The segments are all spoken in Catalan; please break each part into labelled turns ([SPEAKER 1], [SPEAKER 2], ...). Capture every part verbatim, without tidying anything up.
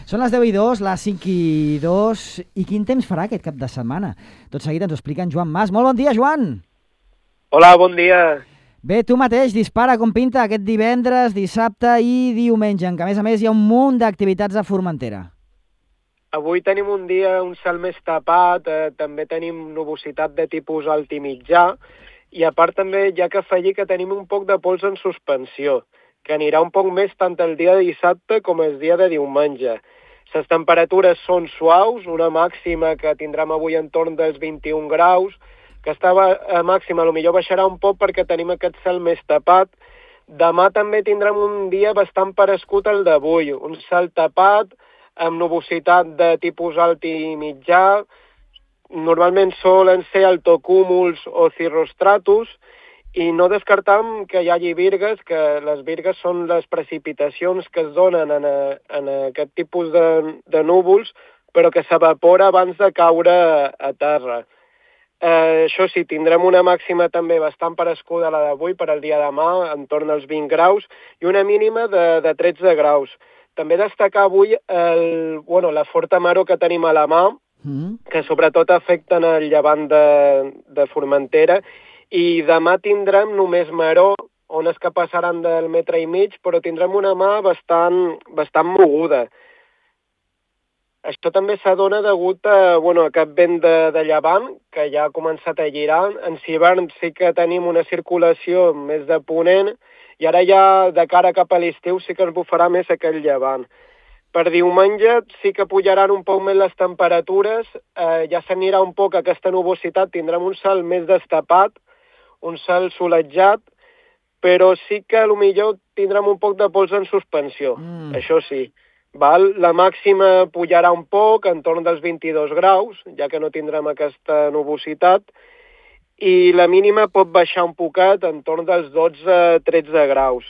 [SPEAKER 1] Són les deu i dos, les cinc i dos, i quin temps farà aquest cap de setmana? Tot seguit ens ho explica en Joan Mas. Molt bon dia, Joan!
[SPEAKER 2] Hola, bon dia.
[SPEAKER 1] Bé, tu mateix, dispara com pinta aquest divendres, dissabte i diumenge, en què a més a més hi ha un munt d'activitats a Formentera.
[SPEAKER 2] Avui tenim un dia, un cel més tapat, eh, també tenim nubositat de tipus alt i mitjà, i a part també hi ha que afegir que tenim un poc de pols en suspensió, que anirà un poc més tant el dia de dissabte com el dia de diumenge. Les temperatures són suaus, una màxima que tindrem avui entorn dels vint-i-un graus, que estava a màxima, potser baixarà un poc perquè tenim aquest cel més tapat. Demà també tindrem un dia bastant parescut al d'avui, un cel tapat, amb nubositat de tipus alt i mitjà, normalment solen ser altocúmuls o cirrostratus, i no descartam que hi hagi virgues, que les virgues són les precipitacions que es donen en, a, en aquest tipus de, de núvols, però que s'evapora abans de caure a, a terra. Eh, això sí, tindrem una màxima també bastant parescuda a la d'avui per al dia de demà, entorn als vint graus, i una mínima de, de tretze graus. També destacar avui el, bueno, la forta maror que tenim a la mà, mm. que sobretot afecten el llevant de, de Formentera, i demà tindrem només maror, ones que passaran del metre i mig, però tindrem una mà bastant, bastant moguda. Això també s'adona degut a, bueno, a aquest vent de, de llevant, que ja ha començat a girar. En hivern sí que tenim una circulació més de ponent, i ara ja de cara cap a l'estiu sí que ens bufarà més aquell llevant. Per diumenge sí que pujaran un poc més les temperatures, eh, ja s'anirà un poc aquesta nubositat, tindrem un cel més destapat, un cel solejat, però sí que potser tindrem un poc de pols en suspensió, mm. això sí. Val? La màxima pujarà un poc, entorn dels vint-i-dos graus, ja que no tindrem aquesta nubositat, i la mínima pot baixar un poquet, entorn dels dotze a tretze graus.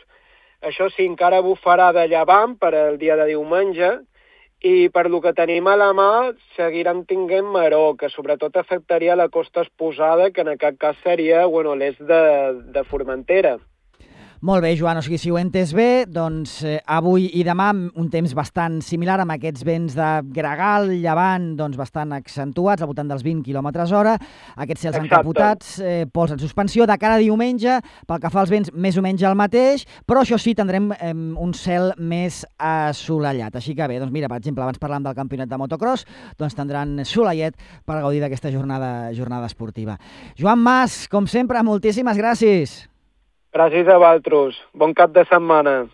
[SPEAKER 2] Això sí, encara bufarà de llevant per al dia de diumenge, i per lo que tenim a la mà seguirem tinguent maror, que sobretot afectaria la costa exposada, que en aquest cas seria, bueno, l'est de, de Formentera.
[SPEAKER 1] Molt bé, Joan, o sigui, si ho he entès bé, doncs eh, avui i demà un temps bastant similar amb aquests vents de gregal, llevant, doncs bastant accentuats, al voltant dels vint quilòmetres hora, aquests cels
[SPEAKER 2] Exacte.
[SPEAKER 1] encapotats, eh, pols en suspensió, de cara a diumenge, pel que fa als vents, més o menys el mateix, però això sí, tindrem eh, un cel més assolellat. Així que bé, doncs mira, per exemple, abans parlàvem del campionat de motocross, doncs tindran soleiet per gaudir d'aquesta jornada, jornada esportiva. Joan Mas, com sempre, moltíssimes gràcies.
[SPEAKER 2] Gràcies a vosaltres. Bon cap de setmana.